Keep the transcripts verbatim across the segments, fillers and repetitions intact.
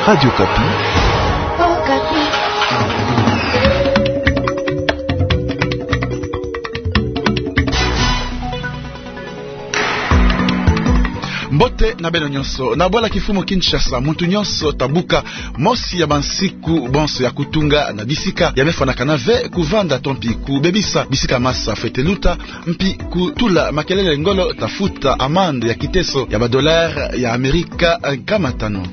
Radio Okapi. Mbote na beno nyonso. Na bwala kimfumu Kinshasa, muntu nyonso ta buka mosi ya bansiku bonso ya kutunga na bisika ya me fwanakana ve kuvanda to mpi kubebisa bisika masa fwete luta, mpi kutula makelele ngolo ta futa amande ya kiteso ya ba dollars ya Amerika nkama tanu.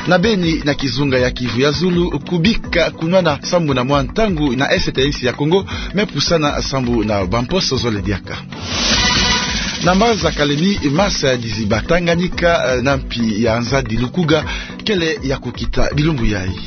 Na beni, na kizunga ya Kivu ya Zulu, kubika kunwana sambu na mwa ntangu na est ya insi ya Kongo me pusana sambu na bamposo zole diaka. Na mbanza Kalemi, masa ya diziba Tanganyika, eh, na mpi ya nzadi Lukuga kele ya kukita bilumbu yayi.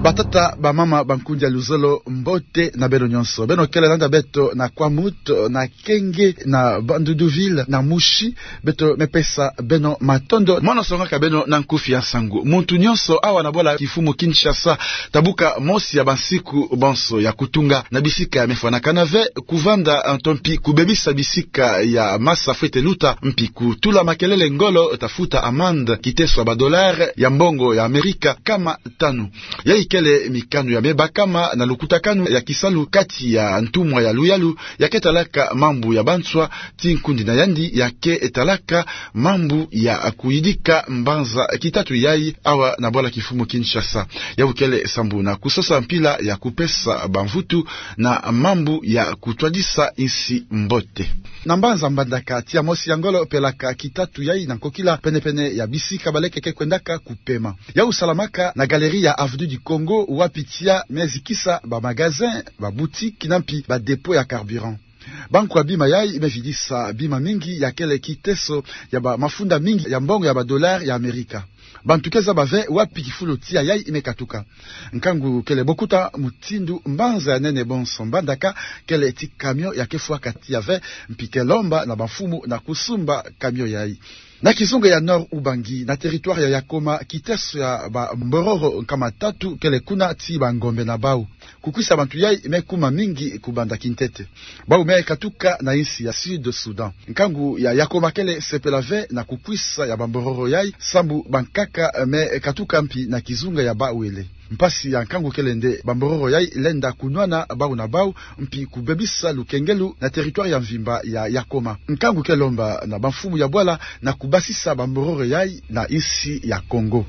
Batata, bamama, bankundi ya luzolo, mbote na beno nyonso. Beno kele landa beto na Kwamouth, na Kenge, na Bandoudouville, na Mouchy. Beto me pesa beno matondo. Mono songaka beno na nkufi ya nsangu. Muntu nyonso awa na bwala kimfumu Kinshasa ta buka mosi ya bansiku bonso ya kutunga na bisika ya me fwanakana ve kuvanda, eh, to mpi kubebisa bisika ya masa fwete luta, mpi kutula makelele ngolo ta futa amande kiteso ya ba dollars ya mbongo ya Amerika nkama tanu. Yayi kele mikanu ya me bakama na lukutakanu ya kisalu kati ya ntumwa ya luyalu ya ke talaka mambu ya banswa, ti nkundi na yandi ya ke talaka mambu ya kuyidika mbanza kitatu yayi awa na bwala kimfumu Kinshasa. Yawu kele sambu na kusosa mpila ya kupesa bamvutu na mambu ya kutwadisa insi mbote. Na mbanza Mbandaka, tia mosi ya ngolo pelaka kitatu yayi na nkokila, pene-pene ya bisika baleke ke kwendaka kupema. Yawu salamaka na galerie ya Avenue du Congo, wapi tia me zikisa ba magasins, ba boutiques, na mpi ba dépôts ya carburant. Bankwa bima yayi me vidisa bima mingi ya kele kiteso ya ba mafunda mingi ya mbongo ya ba dollars ya Amerika. Bantu ke zaba ve wapi kifulu tia yayi me katuka. Nkangu kele bokuta mutindu mbanza ya nene bonso Mbandaka kele ti camion ya ke fwaka tia ve, mpi ke lomba na bamfumu na kusumba camion yayi. Na kizunga ya Nord-Ubangi, na territoire ya Yakoma, kiteso ya ba mbororo nkama tatu kele kuna ti bangombe na bau. Kukwisa bantu yayi me kuma mingi kubanda kintete. Bau me katuka na insi ya Sud Soudan. Nkangu ya Yakoma kele sepela ve na kukwisa ya bambororo yayi, sambu bankaka me katuka mpi na kizunga ya bawele. Mpasi ya nkangu kele nde bambororo yayi lenda kunwana bau na bau, mpi kubebisa lukengelu na territoire ya mvimba ya Yakoma. Nkangu ke lomba na bamfumu ya bwala na kubasisa bambororo yayi na insi ya Congo.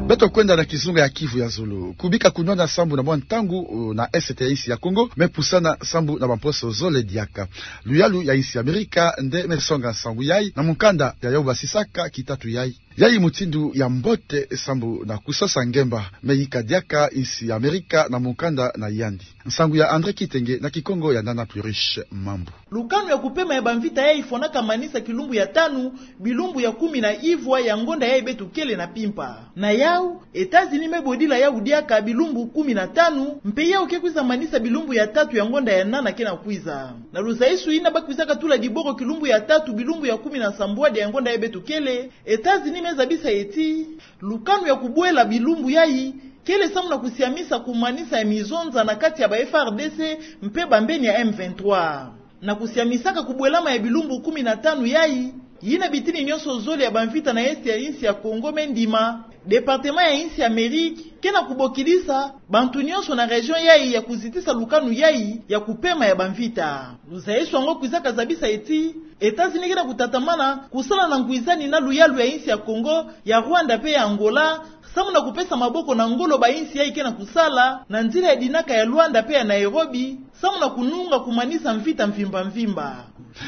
Beto kwenda na kizunga ya Kivu ya Zulu. Kubika kunwana sambu na mwa ntangu, uh, na est ya insi ya Congo me pusana sambu na bamposo zole diaka. Luyalu ya insi ya Amerika nde me songa nsangu yayi na mukanda ya yawu basisaka kitatu yayi. Yayi mutindu ya mbote sambu na kusosa ngemba me yika diaka insi ya Amerika na mukanda na yandi. Nsangu ya André Kitenge na Kikongo ya Nana Pluriche Mambu. Lukanu ya kupema ya bamvita yayi fwanaka manisa kilumbu ya tanu, bilumbu ya kumi na ivwa ya ngonda yayi beto kele na mpimpa. Na yawu, États-Unis me bodila yawu diaka bilumbu kumi na tanu, mpe yawu ke kwiza manisa bilumbu ya tatu ya ngonda ya nana ke na kwiza. Na luzaisu yina ba kwizaka tula diboro kilumbu ya tatu, bilumbu ya kumi na sambwadi ya ngonda yayi beto kele, États-Unis me zabisa ti lukanu ya kubwela bilumbu yayi kele samu na kusiamisa kumanisa ya mizonza na kati ya ba F A R D C mpe bambeni ya M vingt-trois. Na kusiamisaka kubwelama ya bilumbu kumi na tanu yayi, yina bitini nyonso zole ya bamvita na est ya insi ya Congo me ndima, département ya insi ya Amérique ke na kubokidisa bantu nyonso na région yayi ya kuzitisa lukanu yayi ya kupema ya bamvita. Luzaisu yango kwizaka zabisa ti États-Unis ke na kutatamana kusala na nkwizani na luyalu ya insi ya Congo, ya Rwanda mpe ya Angola, samu na kupesa maboko na ngolo ba insi yayi ke na kusala na nzila ya dinaka ya Luanda mpe ya Nairobi, samu na kununga kumanisa mvita mvimba mvimba.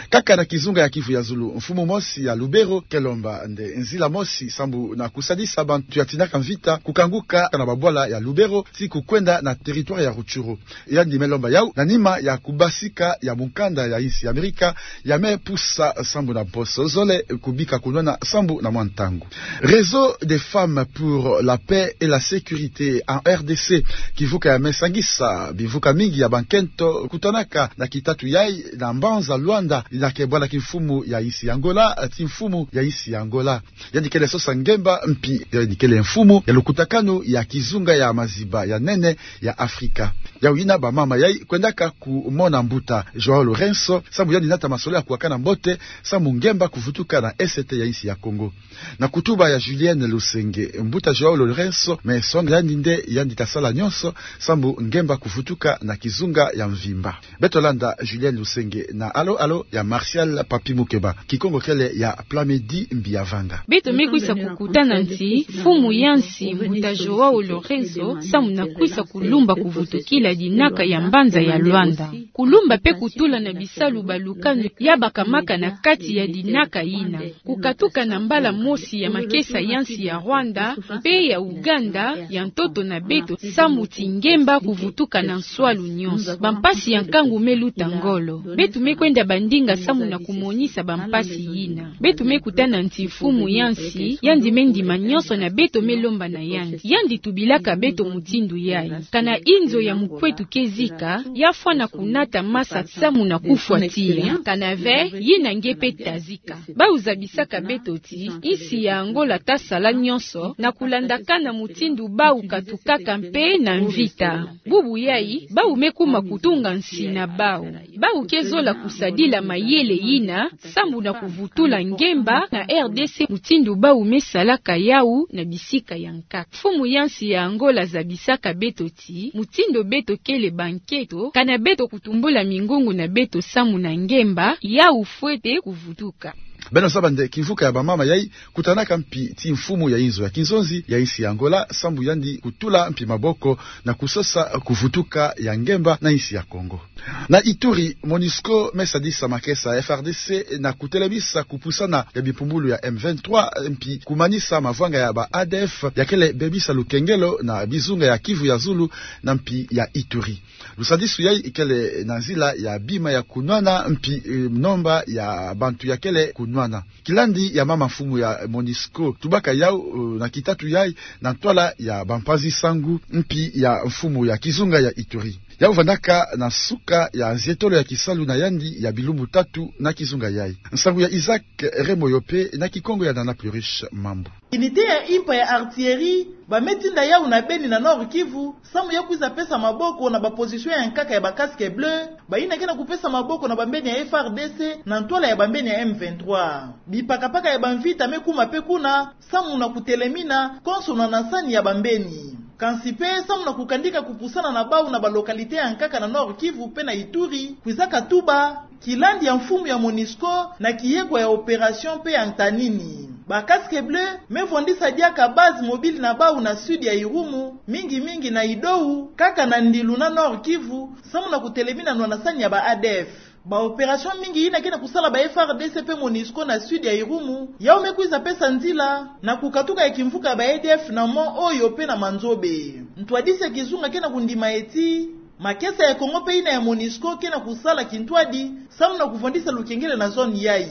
Kaka na kizunga ya Kivu ya Zulu, mfumu mosi ya Lubero ke lomba nde nzila mosi sambu na kusadisa bantu ya tinaka mvita kukanguka na babwala ya Lubero ti kukwenda na territoire ya Rutshuru. Yandi me lomba yawu na nima ya kubasika ya mukanda ya insi ya Amerika ya me pusa sambu na mposo zole kubika kunwana sambu na mwa ntangu. Réseau des femmes pour la paix et la sécurité en R D C, kivuka ya me sangisa bivuka mingi ya bankento kutanaka na kitatu yayi na mbanza Luanda, yina ke bwala kimfumu ya insi ya Angola ti mfumu ya insi ya Angola. Yandi kele sosa ngemba mpi yandi kele mfumu ya lukutakanu ya kizunga ya maziba ya nene ya Afrika. Yawu yina bamama yayi kwendaka kumona mbuta João Lourenço, sambu yandi nata masolo ya kuwakana mbote, sambu ngemba kuvutuka na Est ya insi ya Kongo. Na kutuba ya Julienne Lusenge, mbuta João Lourenço me songa yandi nde yandi ta sala nyonso, sambu ngemba kuvutuka na kizunga ya mvimba. Beto landa Julienne Lusenge na alo alo ya Martial Papi Mukeba, Kikongo kele ya Plamedi Mbiavanga. Beto me kwisa kukutana nti mfumu ya nsi, mbuta João Lourenço, sambu na kwisa kulumba kuvutukila dinaka ya mbanza ya Luanda. Kulumba pe kutula na bisalu balukanu ya bakamaka na kati ya dinaka yina. Kukatuka na mbala mosi ya makesa ya nsi ya Rwanda, pe ya Uganda, ya ntoto na beto, sambu ti ngemba kuvutuka na nswalu nyonso. Bampasi ya nkangu me luta ngolo. Beto me kwenda bandinga sambu na kumonisa bampasi yina. Beto me kutana nti mfumu ya nsi, yandi me ndima nyonso na beto me lomba na yandi. Yandi tubilaka beto mutindu yayi. Kana inzo ya mukwetu ke zika, ya fwana kunata masa sambu na kufwa tiya. Kana ve, yina nge pe ta zika. Bawu zabisaka beto ti, insi ya Angola ta sala nyonso, na kulandakana mutindu bawu katukaka mpe na mvita. Bubu yayi, bawu me kuma kutunga nsi na bawu. Bawu ke zola kusadila mayele yina, sambu na kuvutula ngemba na R D C mutindu bawu me salaka yawu na bisika ya nkaka. Mfumu ya nsi ya Angola zabisaka beto ti, mutindu beto kele bankento, kana beto kutumbula mingongo na beto sambu na ngemba, yawu fwete kuvutuka. Beno zaba nde kimvuka ya bamama yayi kutanaka mpi ti mfumu ya inzo ya kinzonzi ya insi ya Angola, sambu yandi kutula mpi maboko na kusosa kuvutuka ya ngemba na insi ya Kongo. Na Ituri, MONUSCO me sadisa makesa F R D C na kutelemisa kupusana ya bimpumbulu ya M vingt-trois, mpi kumanisa mavwanga ya ba A D F ya kele bebisa lukengelo na bizunga ya Kivu ya Zulu na mpi ya Ituri. Lusadisu yayi kele na nzila ya bima ya kunwana mpi, eh, nomba ya bantu ya kele kunwana. Kilandi ya mama mfumu ya MONUSCO tubaka yawu, eh, na kitatu yayi na ntwala ya bampanzi-nsangu mpi ya mfumu ya kizunga ya Ituri. Yawu vandaka na suka ya nzietolo ya kisalu na yandi ya bilumbu tatu na kizunga yayi. Nsangu ya Isaac Remoyo pe na Kikongo ya Nana Pluriche Mambu. Unité ya impa ya artillerie, ba me tinda yawu na Beni na Nord-Kivu, sambu ya kwiza pesa maboko na ba position ya nkaka ya ba casques bleus, bayina ke na kupesa maboko na bambeni ya F R D C, na ntwala ya bambeni ya M vingt-trois. Bipakapaka ya bamvita me kuma pe kuna, sambu na kutelemina, konso na nsani ya bambeni. Kansi pe, sambu na kukandika kupusana na bawu na ba localité ya nkaka na Nord-Kivu pe na Ituri, kwizaka tuba, kilandi ya mfumu ya MONUSCO na kiyekwa ya opération pe ya ntanini. Ba casques bleus me vwandisa diaka base mobile na bawu na sud ya Irumu, mingi mingi na Idowu, kaka na Ndilu na Nord-Kivu, sambu na kutelemina nwana nsani ya ba A D F. Ba opération mingi yina ke na kusala ba F R D C pe MONUSCO na sud ya Irumu, yawu me kwiza pesa nzila na kukatuka ya kimvuka ya ba A D F na Mont Oyo pe na Manzobe. Ntwadisi ya kizunga ke na kundima ti, makesa ya Kongo pe yina ya MONUSCO ke na kusala kintwadi, sambu na kuvwandisa lukengelo na zone yayi.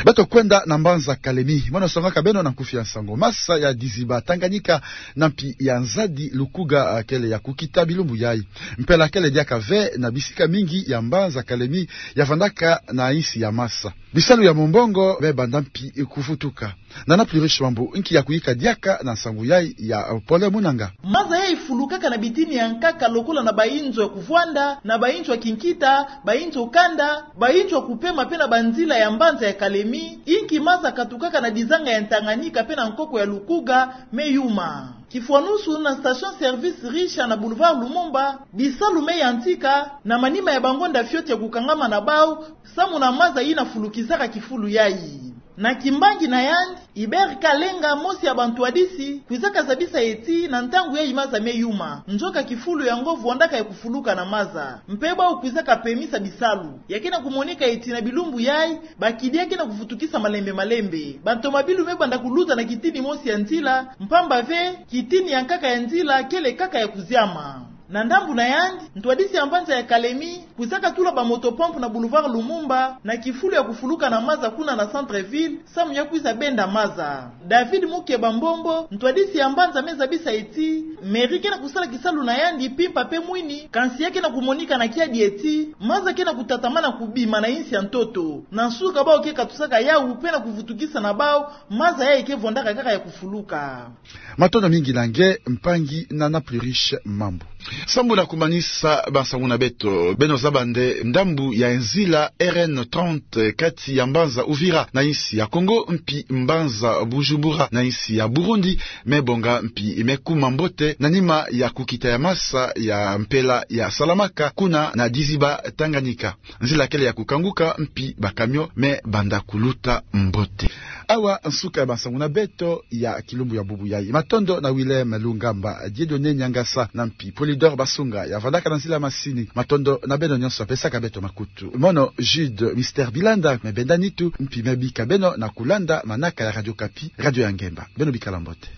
Beto kwenda na mbanza Kalemi. Mono songaka beno na nkufi ya nsangu. Masa ya diziba Tanganyika na mpi ya nzadi Lukuga, ah, kele ya kukita bilumbu yayi. Mpela kele diaka ve na bisika mingi ya mbanza Kalemi ya vandaka na insi ya masa. Bisalu ya mombongo me banda mpi kuvutuka. Nana Pluriche Mambu, nki ya kuyika diaka na nsangu yayi ya, eh, Pole Munanga. Masa yayi fulukaka na bitini ya nkaka lokola na ba inzo ya kuvwanda, na ba inzo ya kinkita, ba inzo kanda, ba inzo ya kupema pe na banzila ya mbanza ya Kalemi, inki masa katukaka na dizanga ya Tanganyika pe na nkoko ya Lukuga me yuma. Kifwanusu na station service Richa na boulevard Lumumba, bisalu me yantika, na manima ya bangonda fioti ya kukangama na bawu, sambu na masa yina fulukisaka kifulu yayi. Na kimbangi na yandi, Hubert Kalenga, mosi ya bantwadisi, kwizaka zabisa ti na ntangu yayi masa me yuma. Nzoka kifulu yango vwandaka ya kufuluka na masa. Mpe bawu kwizaka pemisa bisalu. Ya ke na kumoneka ti na bilumbu yayi, ba kidia ke na kuvutukisa malembe malembe. Bantomabilu me banda kuluta na kitini mosi ya nzila, mpamba ve, kitini ya nkaka ya nzila kele kaka ya kuziama. Na ndambu na yandi, ntwadisi ya mbanza ya Kalemi kwizaka tula ba motopompe na boulevard Lumumba na kifulu ya kufuluka na maza kuna na centre-ville, samu ya kwiza benda maza. David Mukeba Mbombo, ntwadisi ya mbanza, me zabisa ti mairie ke na kusala kisalu na yandi mpimpa mpe mwini, kansi ya ke na kumonika na kiadi ti maza ke na kutatamana kubima na insi ya ntoto. Na nsuka, bau ke katusaka yau mpe na kuvutukisa na bau, maza yayi ke vondaka kaka ya kufuluka. Matondo mingi na nge, mpangi Nana Pluriche Mambu. Sambu na kumanisa bansangu na beto, beno zaba nde ndambu ya nzila R N trente kati ya mbanza Uvira na insi ya Kongo, mpi mbanza Bujumbura na insi ya Burundi, me bonga mpi me kuma mbote na nima ya kukita ya masa ya mpela ya Salamaka kuna na Diziba Tanganyika. Nzila kele ya kukanguka, mpi ba camion me banda kuluta mbote. Awa nsuka ya bansangu na beto ya kilumbu ya bubu yayi. Matondo na Willem Lungamba, Dieudonné Niangasa na mpi Polydor Basunga ya vandaka na nzila masini. Matondo na beno nyonso ya pesaka beto makutu. Mono Jude Mister Bilanda me benda nitu, mpi me bika beno na kulanda manaka ya Radio Okapi, radio ya ngemba. Beno bikala mbote.